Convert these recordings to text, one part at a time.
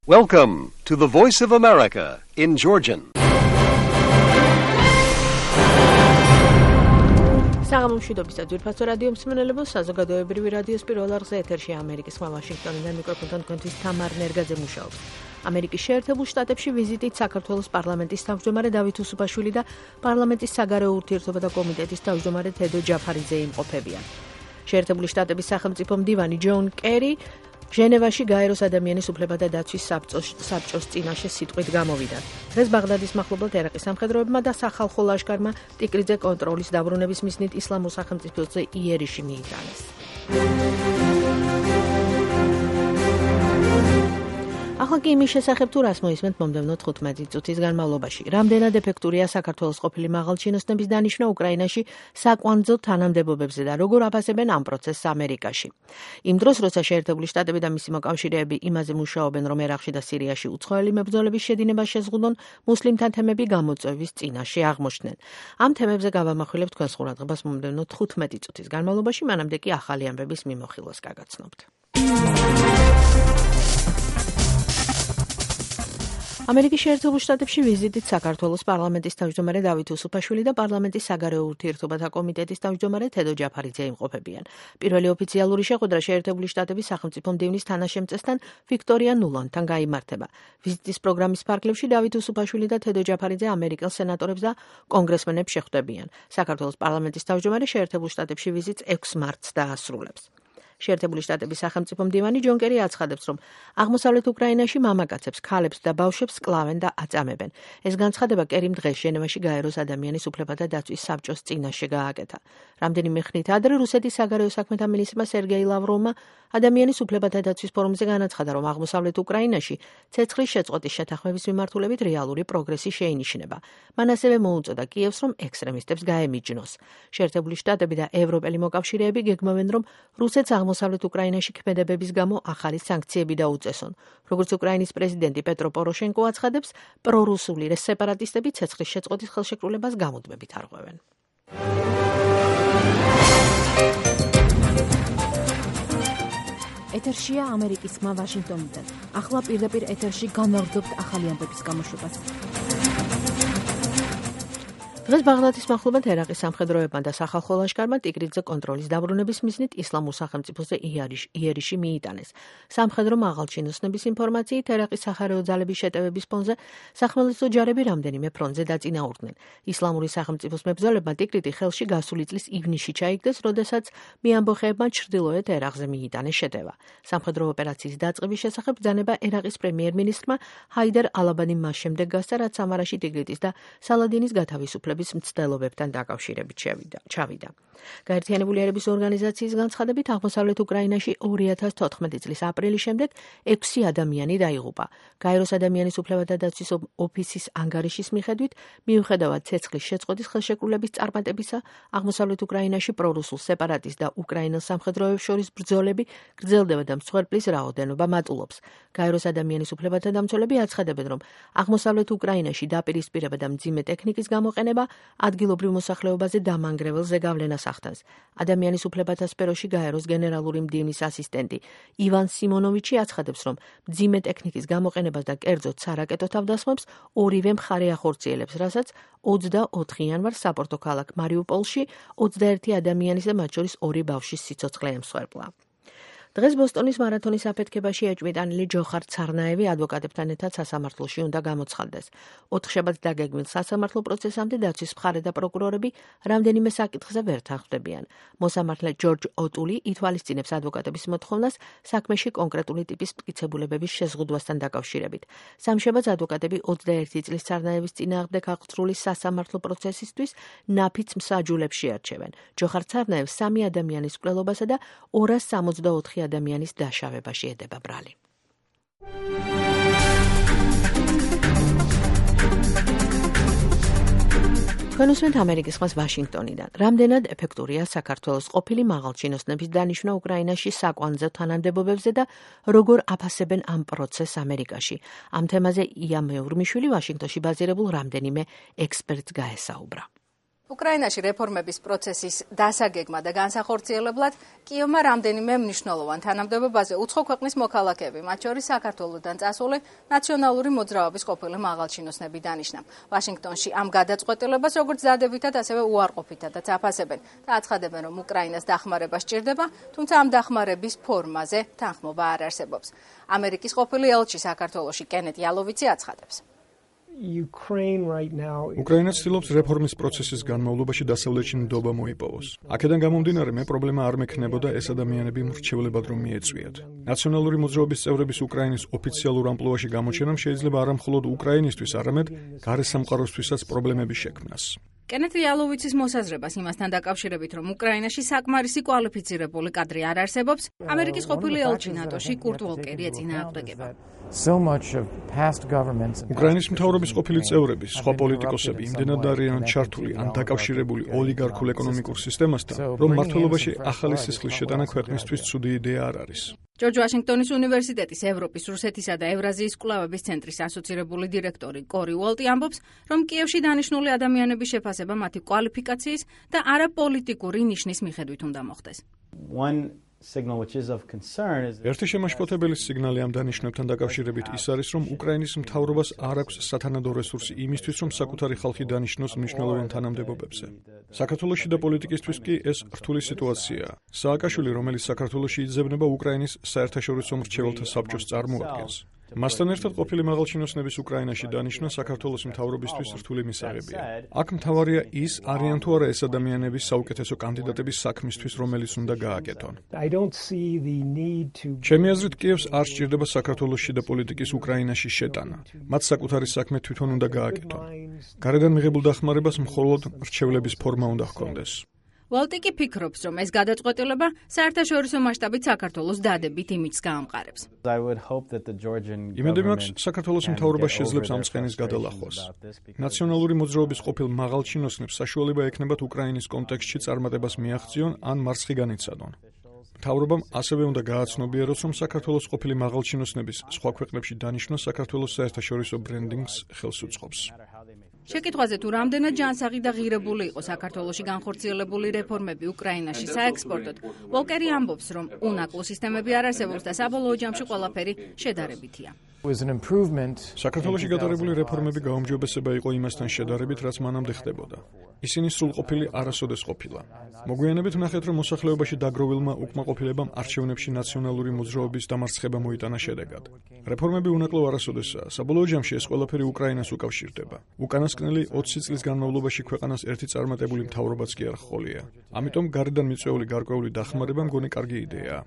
Welcome to the Voice of America in Georgian. საღამომშვიდობის და ძვირფასო რადიო მსმენელებო, საზოგადოებრივი რადიოს პირველ არხზე ეთერშია ამერიკის ხმა ვაშინგტონიდან მიკროფონთან თქვენთვის თამარ ნერგაძე მუშაობს. ამერიკის შეერთებულ შტატებში ვიზიტით საქართველოს პარლამენტის თავმჯდომარე დავით უსუფაშვილი და პარლამენტის საგარეო ურთიერთობათა კომიტეტის თავმჯდომარე თედო ჯაფარიძე იმყოფებიან. შეერთებული შტატების სახელმწიფო მდივანი ჯონ კერი ჟენევაში გაეროს ადამიანის უფლებათა დაცვის საბჭოს წინაშე სიტყვით გამოვიდა. დღეს ბაღდადის მახლობლად ერაყის სამხედროებმა და სახალხო ლაშქარმა ტიკრიძე კონტროლის დაბრუნების მიზნით ისლამურ სახელმწიფოზე იერიში მიიტანეს. ახლა კი იმის შესახებ თუ რას მოისმენთ მომდევნო 15 წუთის განმავლობაში. რამდენად ეფექტურია საქართველოს ყოფილი მაღალჩინოსნების დანიშვნა უკრაინაში საკვანძო თანამდებობებზე და როგორ აფასებენ ამ პროცესს ამერიკაში. იმ დროს, როცა შეერთებული შტატები და მისი მოკავშირეები იმაზე მუშაობენ, რომ ერაყში და სირიაში უცხოელი მებრძოლების შედინებას შეზღუდონ, მუსლიმთა თემები გამოწვევის წინაშე აღმოჩნდნენ. ამ თემებზე გავამახვილებთ თქვენს ყურადღებას მომდევნო 15 წუთის განმავლობაში, მანამდე კი ახალი ამბების მიმოხილვას გაგაცნობთ. ამერიკის შეერთებულ შტატებში ვიზიტით საქართველოს პარლამენტის თავმჯდომარე დავით უსუფაშვილი და პარლამენტის საგარეო ურთიერთობათა კომიტეტის თავმჯდომარე თედო ჯაფარიძე იმყოფებიან. პირველი ოფიციალური შეხვედრა შეერთებული შტატების სახელმწიფო მდივნის თანაშემწესთან ვიქტორია ნულანთან გაიმართება. ვიზიტის პროგრამის ფარგლებში დავით უსუფაშვილი და თედო ჯაფარიძე ამერიკელ სენატორებს და კონგრესმენებს შეხვდებიან. საქართველოს პარლამენტის თავმჯდომარე შეერთებულ შტატებში ვიზიტს 6 მარტს დაასრულებს. შეერთებული შტატების სახელმწიფო მდივანი ჯონ კერი აცხადებს, რომ აღმოსავლეთ უკრაინაში მამაკაცებს, ქალებს და ბავშვებს კლავენ და აწამებენ. ეს განცხადება კერიმ დღეს ჟენევაში გაეროს ადამიანის უფლებათა დაცვის საბჭოს წინაშე გააკეთა. რამდენიმე ხნით ადრე რუსეთის საგარეო საქმეთა მინისტრმა სერგეი ლავროვმა ადამიანის უფლებათა დაცვის ფორუმზე განაცხადა, რომ აღმოსავლეთ უკრაინაში ცეცხლის შეწყვეტის შეთანხმების მიმართულებით რეალური პროგრესი შეინიშნება. მან ასევე მოუწოდა კიევს, რომ ექსტრემისტებს გაემიჯნოს. შეერთებული შტატები და ევროპელი მოკავშირეები გეგმავენ, რომ რუსეთს აღმოსავლეთ უკრაინაში ქმედებების გამო ახალი სანქციები დაუწესონ. როგორც უკრაინის პრეზიდენტი პეტრო პოროშენკო აცხადებს, პრორუსული სეპარატისტები ცეცხლის შეწყვეტის ხელშეკრულებას გამუდმებით არღვევენ. ეთერშია ამერიკის ხმა ვაშინგტონიდან. ახლა პირდაპირ ეთერში განვაგრძობთ ახალი ამბების გამოშვებას. დღეს ბაღდადის მახლობლად ერაყის სამხედროებმა და სახალხო ლაშქარმა ტიკრიძე კონტროლის დაბრუნების მიზნით ისლამურ სახელმწიფოზე იერიში მიიტანეს. სამხედრო მაღალჩინოსნების ინფორმაციით ერაყის სახარეო ძალების შეტევების ფონზე სახმელეთო ჯარები რამდენიმე ფრონტზე დაწინაურდნენ. ისლამური სახელმწიფოს მებრძოლებმა ტიკრიძე ხელში გასული წლის ივნისში ჩაიგდეს, როდესაც მეამბოხეებმა ჩრდილოეთ ერაყზე მიიტანეს შეტევა. სამხედრო ოპერაციის დაწყების შესახებ ბრძანება ერაყის პრემიერ-მინისტრმა ჰაიდარ ალაბადიმ მას შემდეგ გასცა, რაც სამარაში ტიკრიძის და სალადინის გათავისუფლების მცდელობებთან დაკავშირებით ჩავიდა. გაერთიანებული ერების ორგანიზაციის განცხადებით აღმოსავლეთ უკრაინაში 2014 წლის აპრილის შემდეგ 6 ადამიანი დაიღუპა. გაეროს ადამიანის უფლებათა დაცვის ოფისის ანგარიშის მიხედვით, მიუხედავად ცეცხლის შეწყვეტის ხელშეკრულების წარმატებისა, აღმოსავლეთ უკრაინაში პრორუსულ სეპარატისტ და უკრაინელ სამხედროებს შორის ბრძოლები გრძელდება და მსხვერპლის რაოდენობა მატულობს. გაეროს ადამიანის უფლებათა დამცველები აცხადებენ, რომ აღმოსავლეთ უკრაინაში დაპირისპირება და მძიმე ტექნიკის გამოყენება ადგილობრივ მოსახლეობაზე დამანგრეველ ზეგავლენას ახდენს. ადამიანის უფლებათა სფეროში გაეროს გენერალური მდივნის ასისტენტი ივან სიმონოვიჩი აცხადებს, რომ მძიმე ტექნიკის გამოყენებას და კერძოდ სარაკეტო თავდასხმებს ორივე მხარე ახორციელებს, რასაც 24 იანვარს საპორტო ქალაქ მარიუპოლში 21 ადამიანის და მათ შორის 2 ბავშვის სიცოცხლე ემსხვერპლა. დღეს ბოსტონის მარათონის აფეთქებაში ეჭვმიტანილი ჯოხარ ცარნაევი ადვოკატებთან ერთად სასამართლოში უნდა გამოცხადდეს. 4 შაბათს დაგეგმილ სასამართლო პროცესამდე დაცვის მხარე და პროკურორები რამდენიმე საკითხზე ვერ თანხმდებიან. მოსამართლე ჯორჯ ოტული ითვალისწინებს ადვოკატების მოთხოვნას საქმეში კონკრეტული ტიპის მტკიცებულებების შეზღუდვასთან დაკავშირებით. სამშაბათს ადვოკატები 21 წლის ცარნაევის წინააღმდეგ აღწრული სასამართლო პროცესისთვის ნაფიც მსაჯულებს შეარჩევენ. ჯოხარ ცარნაევს 3 ადამიანის მკვლელობასა და 264 ადამიანის დაშავებაში ედება ბრალი. თქვენ უსმენთ ამერიკის ხმას ვაშინგტონიდან. რამდენად ეფექტურია საქართველოს ყოფილი მაღალჩინოსნების დანიშვნა უკრაინაში საკვანძო თანამდებობებზე და როგორ აფასებენ ამ პროცესს ამერიკაში. ამ თემაზე ია მეურმიშვილი ვაშინგტონში ბაზირებულ რამდენიმე ექსპერტს გაესაუბრა. უკრაინაში რეფორმების პროცესის დასაგეგმა და განსახორციელებლად კიევმა რამდენიმე მნიშვნელოვან თანამდებობაზე უცხო ქვეყნის მოქალაქეები, მათ შორის საქართველოდან წასული ნაციონალური მოძრაობის ყოფილი მაღალჩინოსნები დანიშნა. ვაშინგტონში ამ გადაწყვეტილებას როგორც დადებითად, ასევე უარყოფითადაც აფასებენ და აცხადებენ, რომ უკრაინას დახმარება სჭირდება, თუმცა ამ დახმარების ფორმაზე თანხმობა არ არსებობს. ამერიკის ყოფილი ელჩი საქართველოში კენეთ იალოვიცი აცხადებს. უკრაინა ცდილობს რეფორმის პროცესის განმავლობაში დასავლეთში ნდობა მოიპოვოს. აქედან გამომდინარე, მე პრობლემა არ მექნებოდა ეს ადამიანები მრჩევლებად რომ მიეწვიათ. ნაციონალური მოძრაობის წევრების უკრაინის ოფიციალურ ამპლუაში გამოჩენამ შეიძლება არა მხოლოდ უკრაინისთვის, არამედ გარე სამყაროსთვისაც პრობლემების შექმნას. კენეთ იალოვიცის მოსაზრებას იმასთან დაკავშირებით, რომ უკრაინაში საკმარისი კვალიფიცირებული კადრი არ არსებობს, ამერიკის ყოფილი ელჩი ნატოში კურტ ვოლკერი ეწინააღმდეგება. უკრაინის მთავრობის ყოფილი წევრები, სხვა პოლიტიკოსები იმდენად არიან ჩართული ან დაკავშირებული ოლიგარქულ ეკონომიკურ სისტემასთან, რომ მმართველობაში ახალი სისხლის შეტანა ქვეყნისთვის ცუდი იდეა არ არის. ჯორჯ ვაშინგტონის უნივერსიტეტის ევროპის, რუსეთისა და ევრაზიის კვლევების ცენტრის ასოცირებული დირექტორი კორი უოლტი ამბობს, რომ კიევში დანიშნული ადამიანების შეფასება მათი კვალიფიკაციის და არაპოლიტიკური ნიშნის მიხედვით უნდა მოხდეს. ერთი შემაშფოთებელი სიგნალი ამ დანიშნებთან დაკავშირებით ის არის, რომ უკრაინის მთავრობას არ აქვს სათანადო რესურსი იმისთვის, რომ საკუთარი ხალხი დანიშნოს მნიშვნელოვან თანამდებობებზე. საქართველოში და პოლიტიკისთვის კი ეს რთული სიტუაციაა. სააკაშვილი, რომელიც საქართველოში იძებნება უკრაინის საერთაშორისო მრჩეველთა საბჭოს წარმოადგენს. მასთან ერთად ყოფილი მაღალჩინოსნების უკრაინაში დანიშნა საქართველოს მთავრობისთვის რთული მისაღებია. აქ მთავარია ის, არიან თუ არა ეს ადამიანები საუკეთესო კანდიდატების საქმისთვის, რომელიც უნდა გააკეთონ. ჩემი აზრით, კიევს არ სჭირდება საქართველოსში და პოლიტიკის უკრაინაში შეტანა. მათ საკუთარი საქმე თვითონ უნდა გააკეთონ. გარედან მიღებულ დახმარებას მხოლოდ მრჩევლების ფორმა უნდა ჰქონდეს. ვოლტიკი ფიქრობს, რომ ეს გადაწყვეტილება საერთაშორისო მასშტაბით საქართველოს დადებით იმიჯს გაამყარებს. იმედები მაქვს, საქართველოს მთავრობა შეძლებს ამ წყენის გადალახვას. ნაციონალური მოძრაობის ყოფილ მაღალჩინოსნებს საშუალება ექნებათ უკრაინის კონტექსტში წარმატებას მიაღწიონ ან მარცხი განიცადონ. მთავრობამ ასევე უნდა გააცნობიეროს, რომ საქართველოს ყოფილი მაღალჩინოსნების სხვა ქვეყნებში დანიშნვა საქართველოს საერთაშორისო ბრენდინგს ხელს უწყობს. შეკითხვაზე თუ რამდენად ჯანსაღი და ღირებული იყო საქართველოში განხორციელებული რეფორმები უკრაინაში საექსპორტოდ, ვოლკერი ამბობს, რომ უნაკლო სისტემები არ არსებობს და საბოლოო ჯამში ყველაფერი შედარებითია. საქართველოში გატარებული რეფორმები გაუმჯობესება იყო იმასთან შედარებით, რაც მანამდე ხდებოდა. ისინი სრულყოფილი არასოდეს ყოფილა. მოგვიანებით ვნახეთ, რომ მოსახლეობაში დაგროვილმა უკმაყოფილებამ არჩევნებში ნაციონალური მოძრაობის დამარცხება მოიტანა შედეგად. რეფორმები უნაკლო არასოდესაა. საბოლოო ჯამში ეს ყველაფერი უკრაინას უკავშირდება. უკანასკნელი 20 წლის განმავლობაში ქვეყანას ერთი წარმატებული მთავრობაც კი არ ჰყოლია. ამიტომ გარედან მიწვეული გარკვეული დახმარება მგონი კარგი იდეაა.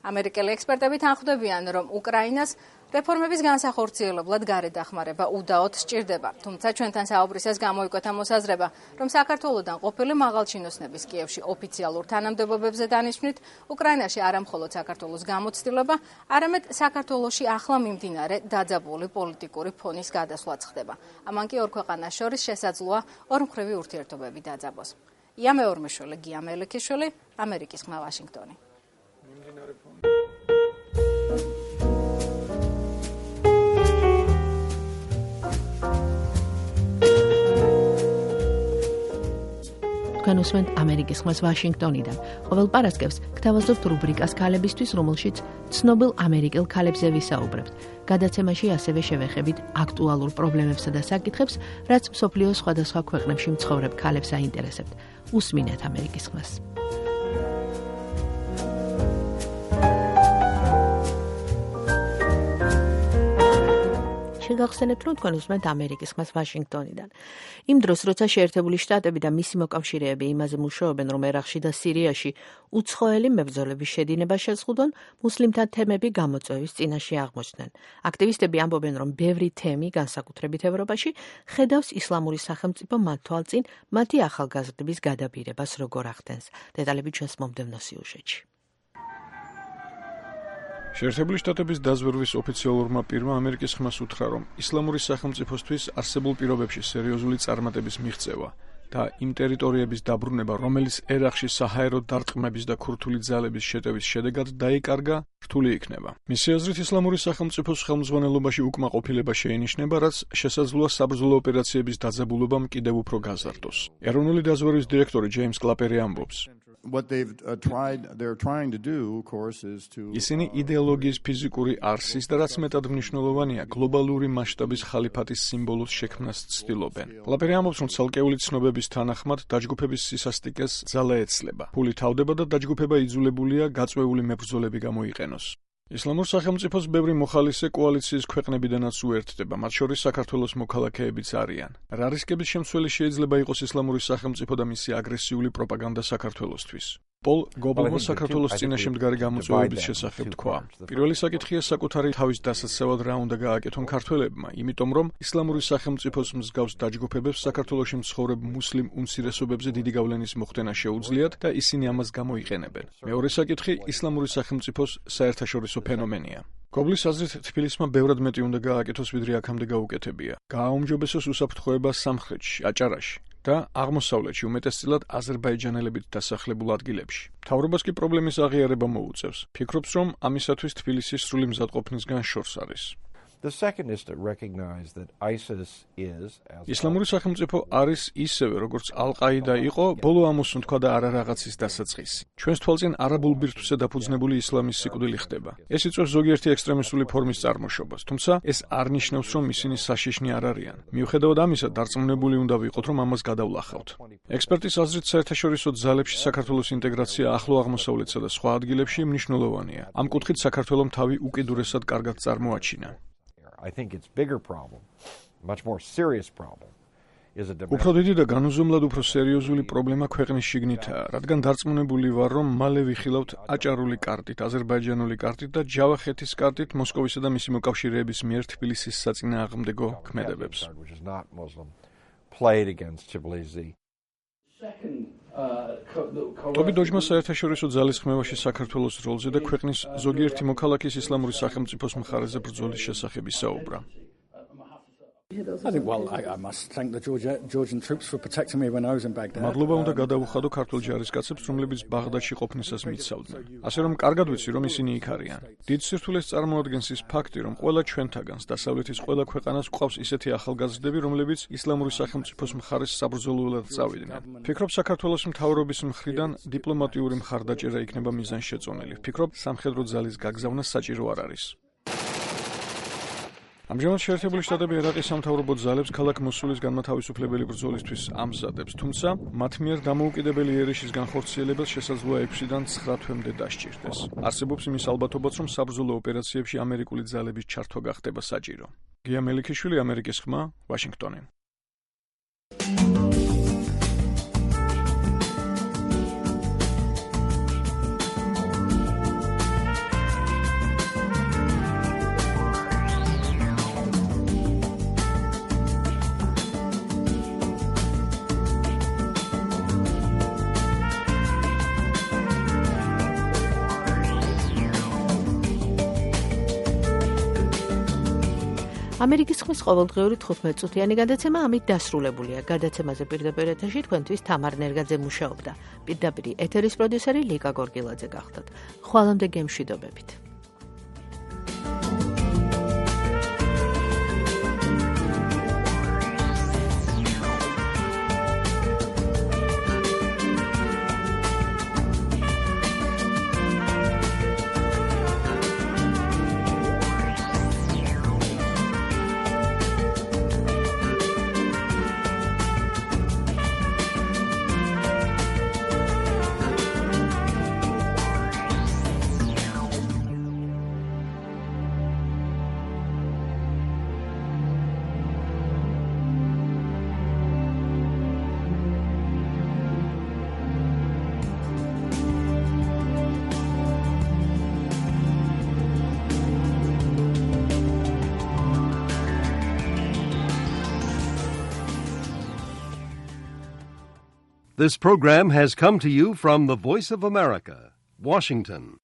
ამერიკელი ექსპერტები თანხმდებიან, რომ უკრაინას რეფორმების განსახორციელებლად გარე დახმარება უდაოდ სჭირდება. თუმცა ჩვენთან საუბრისას გამოიკვეთა მოსაზრება, რომ საქართველოდან ყოფილი მაღალჩინოსნების კიევში ოფიციალურ თანამდებობებზე დანიშვნით, უკრაინაში არა მხოლოდ საქართველოს გამოცდილება, არამედ საქართველოში ახლა მიმდინარე დაძაბული პოლიტიკური ფონის გადასვლაც ხდება. ამან კი ორ ქვეყანას შორის შესაძლოა ორმხრივი ურთიერთობები დაძაბოს. ია მეორმეშვილი, გია მელიქიშვილი, ამერიკის ხმა, ვაშინგტონი. თქვენ უსმენთ ამერიკის ხმას ვაშინგტონიდან. ყოველ პარასკევს გთავაზობთ რუბრიკას ქალებისთვის, რომელშიც ცნობილ ამერიკელ ქალებზე ვისაუბრებთ. გადაცემაში ასევე შევეხებით აქტუალურ პრობლემებსა და საკითხებს, რაც მსოფლიოს სხვადასხვა ქვეყნებში მცხოვრებ ქალებს აინტერესებთ. უსმინეთ ამერიკის ხმას. შეგახსენებთ, რომ თქვენ უსმენთ ამერიკის ხმას ვაშინგტონიდან. იმ დროს, როცა შეერთებული შტატები და მისი მოკავშირეები იმაზე მუშაობენ, რომ ერაყში და სირიაში უცხოელი მებრძოლების შედინება შეზღუდონ, მუსლიმთა თემები გამოწვევის წინაშე აღმოჩნდნენ. აქტივისტები ამბობენ, რომ ბევრი თემი, განსაკუთრებით ევროპაში, ხედავს ისლამური სახელმწიფო მათ თვალწინ მათი ახალგაზრდების გადაბირებას როგორ ახდენს. დეტალები ჩვენს მომდევნო სიუჟეტში. შეერთებული შტატების დაზვერვის ოფიციალურმა პირმა ამერიკის ხმას უთხრა, რომ ისლამური სახელმწიფოსთვის არსებულ პირობებში სერიოზული წარმატების მიღწევა და იმ ტერიტორიების დაბრუნება, რომელიც ერაყში საჰაერო დარტყმების და ქურთული ძალების შეტევის შედეგად დაიკარგა, რთული იქნება. მისი აზრით, ისლამური სახელმწიფოს ხელმძღვანელობაში უკმაყოფილება შეინიშნება, რაც შესაძლოა საბრძოლო ოპერაციების დაძაბულობამ კიდევ უფრო გაზარდოს. ეროვნული დაზვერვის დირექტორი ჯეიმს კლაპერი ამბობს: ისინი იდეოლოგიის ფიზიკური არსის და რაც მეტად მნიშვნელოვანია, გლობალური მასშტაბის ხალიფატის სიმბოლოს შექმნას ცდილობენ. კლაპერი ამბობს, რომ ცალკეული ცნობების თანახმად დაჯგუფების სისასტიკეს ძალა ეცლება. ფული თავდება და დაჯგუფება იძულებულია გაწვეული მებრძოლები გამოიყენოს. ისლამურ სახელმწიფოს ბევრი მოხალისე კოალიციის ქვეყნებიდანაც უერთდება, მათ შორის საქართველოს მოქალაქეებიც არიან. რა რისკების შემცველი შეიძლება იყოს ისლამური სახელმწიფო და მისი აგრესიული პროპაგანდა საქართველოსთვის? პოლ გობლმა საქართველოს წინაშე მდგარი გამოწვევების შესახებ თქვა. პირველი საკითხია საკუთარი თავის დასაცავად რა უნდა გააკეთონ ქართველებმა, იმიტომ რომ ისლამური სახელმწიფოს მსგავს დაჯგუფებებს საქართველოში მცხოვრებ მუსლიმ უმცირესობებზე დიდი გავლენის მოხდენა შეუძლიათ და ისინი ამას გამოიყენებენ. მეორე საკითხი ისლამური სახელმწიფოს საერთაშორისო ფენომენია. გობლის აზრით, თბილისმა ბევრად მეტი უნდა გააკეთოს, ვიდრე აქამდე გაუკეთებია. გააუმჯობესოს უსაფრთხოება სამხრეთში, აჭარაში და აღმოსავლეთში, უმეტესწილად აზერბაიჯანელებით დასახლებულ ადგილებში. მთავრობას კი პრობლემის აღიარება მოუწევს. ფიქრობს, რომ ამისათვის თბილისის სრული მზადყოფნისგან შორს არის. ისლამური სახელმწიფო არის ისევე, როგორც ალ-ყაიდა იყო, ბოლო ამოსუნ თქვა და არა რაღაცის დასაწყისი. ჩვენს თვალწინ არაბულ ბირთვზე დაფუძნებული ისლამის სიკვდილი ხდება. ეს იწვევს ზოგიერთი ექსტრემისტული ფორმის წარმოშობას, თუმცა ეს არ ნიშნავს, რომ ისინი საშიშნი არ არიან. მიუხედავად ამისა, დარწმუნებული უნდა ვიყოთ, რომ ამას გადავლახავთ. ექსპერტის აზრით, საერთაშორისო ძალებში საქართველოს ინტეგრაცია ახლო აღმოსავლეთსა და სხვა ადგილებში მნიშვნელოვანია. ამ კუთხით საქართველომ თავი უკიდურესად კარგად წარმოაჩინა. უფრო დიდი და განუზომლად უფრო სერიოზული პრობლემა ქვეყნის შიგნითაა, რადგან დარწმუნებული ვარ, რომ მალე ვიხილავთ აჭარული კარტით, აზერბაიჯანული კარტით და ჯავახეთის კარტით მოსკოვისა და მისი მოკავშირეების მიერ თბილისის საწინააღმდეგო ქმედებებს. ტობი დოჯმა საერთაშორისო ძალის ხმევაში საქართველოს როლზე და ქვეყნის ზოგიერთი მოქალაქის ისლამური სახელმწიფოს მხარეზე ბრძოლის შესახებ ისაუბრა. მადლობა უნდა გადავუხადო ქართულ ჯარისკაცებს, რომლებიც ბაღდადში ყოფნისას მიცავდნენ. ასე რომ კარგად ვიცი, რომ ისინი იქ არიან. დიდ სირთულეს წარმოადგენს ის ფაქტი, რომ ყველა ჩვენთაგანს დასავლეთის ყველა ქვეყანას გვყავს ისეთი ახალგაზრდები, რომლებიც ისლამური სახელმწიფოს მხარეს საბრძოლველად წავიდნენ. ფიქრობ, საქართველოს მთავრობის მხრიდან დიპლომატიური მხარდაჭერა იქნება მიზანშეწონილი. ფიქრობ, სამხედრო ძალის გაგზავნა საჭირო არ არის. ამჟამად შეერთებული შტატები ერაყის სამთავრობო ძალებს ქალაქ მოსულის განმათავისუფლებელი ბრძოლისთვის ამზადებს, თუმცა მათ მიერ დამოუკიდებელი იერიშის განხორციელებელს შესაძლოა 6-დან 9 თვემდე დასჭირდეს. არსებობს იმის ალბათობაც, რომ საბრძოლო ოპერაციებში ამერიკული ძალების ჩართვა გახდება საჭირო. გია მელიქიშვილი, ამერიკის ხმა, ვაშინგტონი. ამერიკის ხმის ყოველდღიური 15 წუთიანი გადაცემა ამით დასრულებულია. გადაცემაზე პირდაპირ ეთერში თქვენთვის თამარ ნერგაძე მუშაობდა. პირდაპირ ეთერის პროდიუსერი ლიკა გორგილაძე გახდათ. ხვალამდე გემშვიდობებით. This program has come to you from the Voice of America, Washington.